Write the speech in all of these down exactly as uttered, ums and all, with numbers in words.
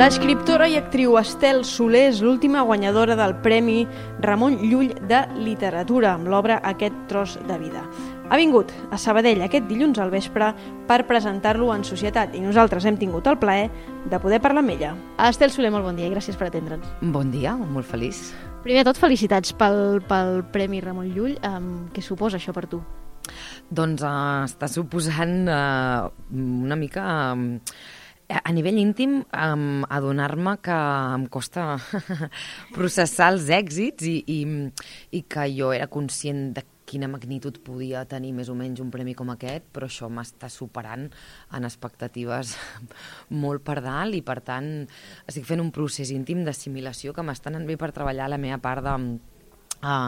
L'escriptora i actriu Estel Soler és l'última guanyadora del Premi Ramon Llull de Literatura amb l'obra Aquest tros de vida. Ha vingut a Sabadell aquest dilluns al vespre per presentar-lo en societat i nosaltres hem tingut el plaer de poder parlar amb ella. Estel Soler, molt bon dia i gràcies per atendre'ns. Bon dia, molt feliç. Primer de tot, felicitats pel, pel Premi Ramon Llull. Um, què suposa això per tu? Doncs uh, està suposant uh, una mica... Um, a nivell íntim, um, adonar-me que em costa processar els èxits i, i, i que jo era conscient de quina magnitud podia tenir més o menys un premi com aquest, però això m'està superant en expectatives molt per dalt i, per tant, estic fent un procés íntim d'assimilació que m'està anant bé per treballar la meva part de uh,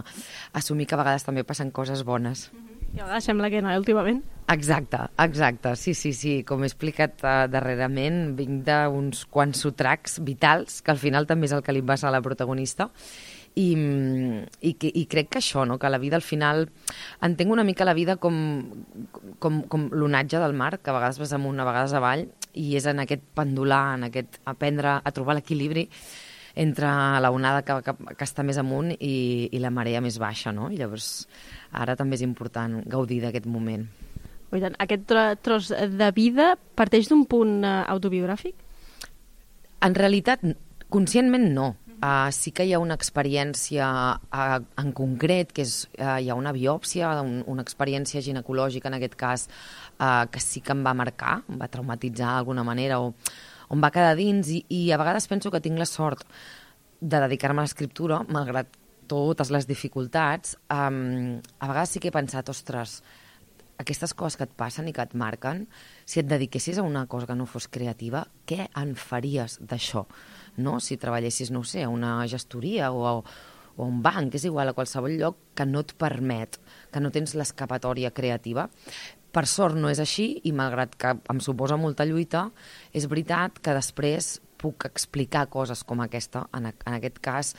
assumir que a vegades també passen coses bones. I a vegades sembla que no, eh, últimament. Exacte, exacte, sí, sí, sí. Com he explicat uh, darrerament, vinc d'uns quants sotracs vitals, que al final també és el que li passa a la protagonista, i, i, que, i crec que això, no? Que la vida al final... Entenc una mica la vida com, com, com l'onatge del mar, que a vegades vas amunt, a vegades avall, i és en aquest pendular, en aquest aprendre a trobar l'equilibri entre la onada que, que, que està més amunt i, i la marea més baixa, no? I llavors ara també és important gaudir d'aquest moment. Oh, tant, aquest tros de vida parteix d'un punt uh, autobiogràfic? En realitat, conscientment no. Uh, sí que hi ha una experiència uh, en concret, que és, uh, hi ha una biòpsia, un, una experiència ginecològica en aquest cas, uh, que sí que em va marcar, em va traumatitzar d'alguna manera, o on va quedar dins, i, i a vegades penso que tinc la sort de dedicar-me a l'escriptura, malgrat totes les dificultats. Um, a vegades sí que he pensat, ostres, aquestes coses que et passen i que et marquen, si et dediquessis a una cosa que no fos creativa, què en faries d'això? No? Si treballessis, no ho sé, a una gestoria o a, o a un banc, és igual, a qualsevol lloc que no et permet, que no tens l'escapatòria creativa. Per sort no és així i malgrat que em suposa molta lluita, és veritat que després puc explicar coses com aquesta. En, en aquest cas,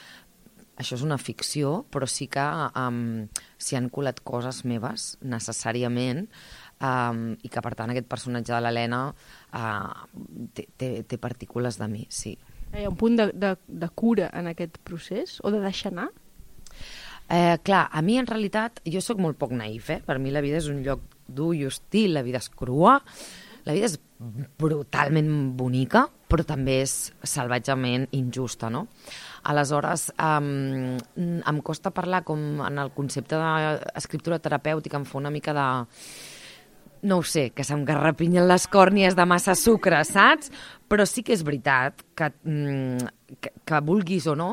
això és una ficció, però sí que um, s'hi han colat coses meves necessàriament um, i que, per tant, aquest personatge de l'Helena uh, té, té, té partícules de mi, sí. Hi ha un punt de, de, de cura en aquest procés o de deixar anar? Eh, clar, a mi en realitat, jo sóc molt poc naïf, eh? Per mi la vida és un lloc dur i hostil, la vida és crua, la vida és brutalment bonica, però també és salvatgement injusta, no? Aleshores, um, em costa parlar com en el concepte d'escriptura terapèutica, em fa una mica de... no ho sé, que se'm garrapinyen les còrnies de massa sucre, saps? Però sí que és veritat que, que, que vulguis o no,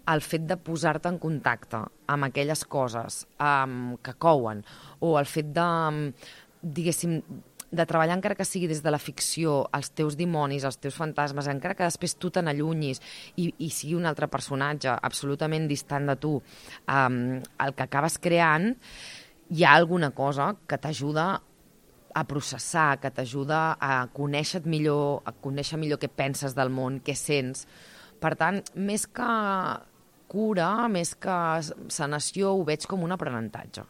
el fet de posar-te en contacte amb aquelles coses um, que couen, o el fet de, diguéssim, de treballar encara que sigui des de la ficció, els teus dimonis, els teus fantasmes, encara que després tu te n'allunyis i, i sigui un altre personatge absolutament distant de tu, um, el que acabes creant, hi ha alguna cosa que t'ajuda a processar, que t'ajuda a conèixer millor, a conèixer millor què penses del món, què sents. Per tant, més que cura, més que sanació, ho veig com un aprenentatge.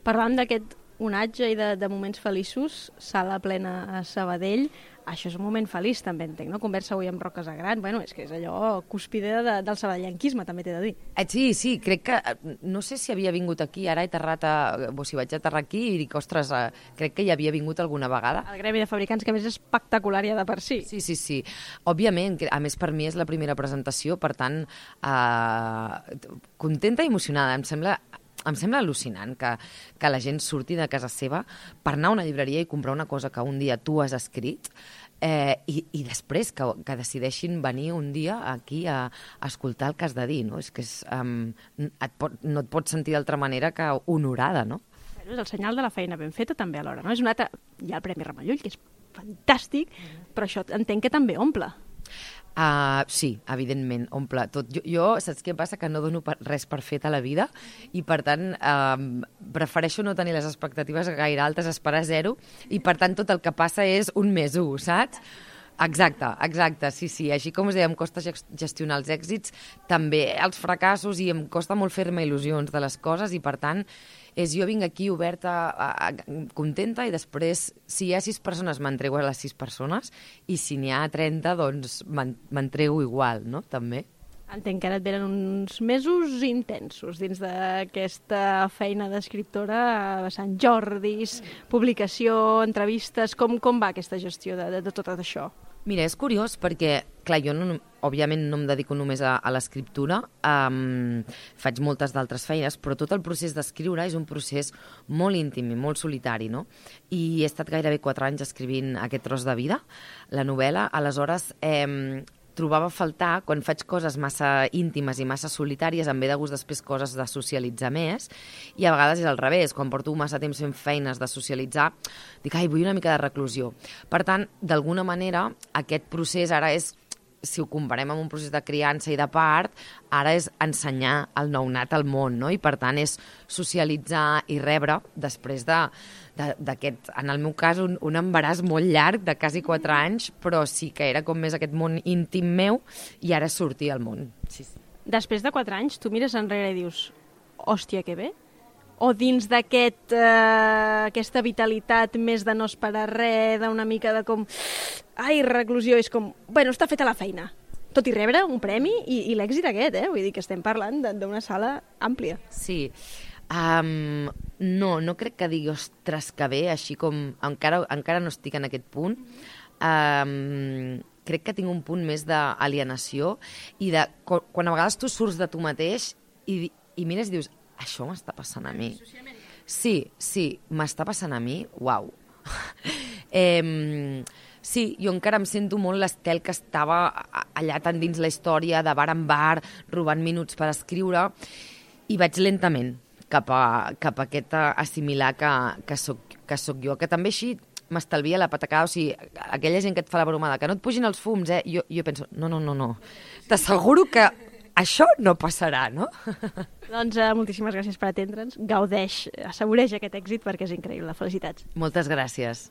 Parlant d'aquest onatge i de, de moments feliços, sala plena a Sabadell, això és un moment feliç també, entenc, no? Conversa avui amb Roques Agran, bueno, és que és allò cúspide de, del sabadellenquisme, també t'he de dir. Eh, sí, sí, crec que, no sé si havia vingut aquí, ara he aterrat, a, o si vaig aterrar aquí i dic, ostres, eh, crec que hi havia vingut alguna vegada. El gremi de fabricants, que a més és espectacular ja de per si. Sí, sí, sí. Òbviament, a més per mi és la primera presentació, per tant, eh, contenta i emocionada, em sembla... Em sembla al·lucinant que, que la gent surti de casa seva per anar a una llibreria i comprar una cosa que un dia tu has escrit eh, i, i després que, que decideixin venir un dia aquí a, a escoltar el que has de dir. No? És que és, um, et pot, no et pots sentir d'altra manera que honorada, no? És el senyal de la feina ben feta també alhora, no? És un altre... Hi ha el Premi Ramon Llull, que és fantàstic, però això entenc que també omple. Uh, sí, evidentment, omple tot. Jo, jo, saps què passa? Que no dono per, res per fet a la vida i, per tant, uh, prefereixo no tenir les expectatives gaire altes, esperar zero, i, per tant, tot el que passa és un més u, saps? Exacte, exacte, sí, sí. Així com us deia, em costa gestionar els èxits, també els fracassos, i em costa molt fer-me il·lusions de les coses, i, per tant, és jo vinc aquí oberta, a, a, contenta, i després, si hi ha sis persones, m'entrego a les sis persones, i si n'hi ha trenta, doncs m'entrego igual, no?, també. Entenc que ara et venen uns mesos intensos dins d'aquesta feina d'escriptora, a Sant Jordis, publicació, entrevistes... Com, com va aquesta gestió de, de, de tot això? Mira, és curiós perquè, clar, jo no, òbviament no em dedico només a, a l'escriptura, um, faig moltes d'altres feines, però tot el procés d'escriure és un procés molt íntim i molt solitari, no? I he estat gairebé quatre anys escrivint aquest tros de vida, la novel·la, aleshores... Eh, trobava a faltar, quan faig coses massa íntimes i massa solitàries, em ve de gust després coses de socialitzar més, i a vegades és al revés, quan porto massa temps fent feines de socialitzar, dic, ai, vull una mica de reclusió. Per tant, d'alguna manera, aquest procés ara és, si ho comparem amb un procés de criança i de part, ara és ensenyar el nounat al món, no? I per tant és socialitzar i rebre després de, de, d'aquest, en el meu cas, un, un embaràs molt llarg de quasi quatre anys, però sí que era com més aquest món íntim meu i ara sortir al món. Sí, sí. Després de quatre anys, tu mires enrere i dius, hòstia, que bé? O dins d'aquest, eh, aquesta vitalitat més de no esperar res, d'una mica de com... Ai, reclusió, és com... Bueno, està feta la feina. Tot i rebre un premi i, i l'èxit aquest, eh? Vull dir que estem parlant d'una sala àmplia. Sí. Um, no, no crec que digui, ostres, que bé, així com... Encara, encara no estic en aquest punt. Um, crec que tinc un punt més d'alienació i de... Quan a vegades tu surts de tu mateix i, i mires i dius, això m'està passant a mi. Sí, sí, m'està passant a mi, uau. eh, sí, jo encara em sento molt l'Estel que estava allà tan dins la història, de bar en bar, robant minuts per escriure, i vaig lentament cap a, cap a aquest assimilar que, que, soc, que soc jo, que també així m'estalvia la patacada, o sigui, aquella gent que et fa la bromada, que no et pugin els fums, eh? Jo, jo penso, no, no, no, no, t'asseguro que això no passarà, no? Doncs uh, moltíssimes gràcies per atendre'ns. Gaudeix, assaboreix aquest èxit perquè és increïble. Felicitats. Moltes gràcies.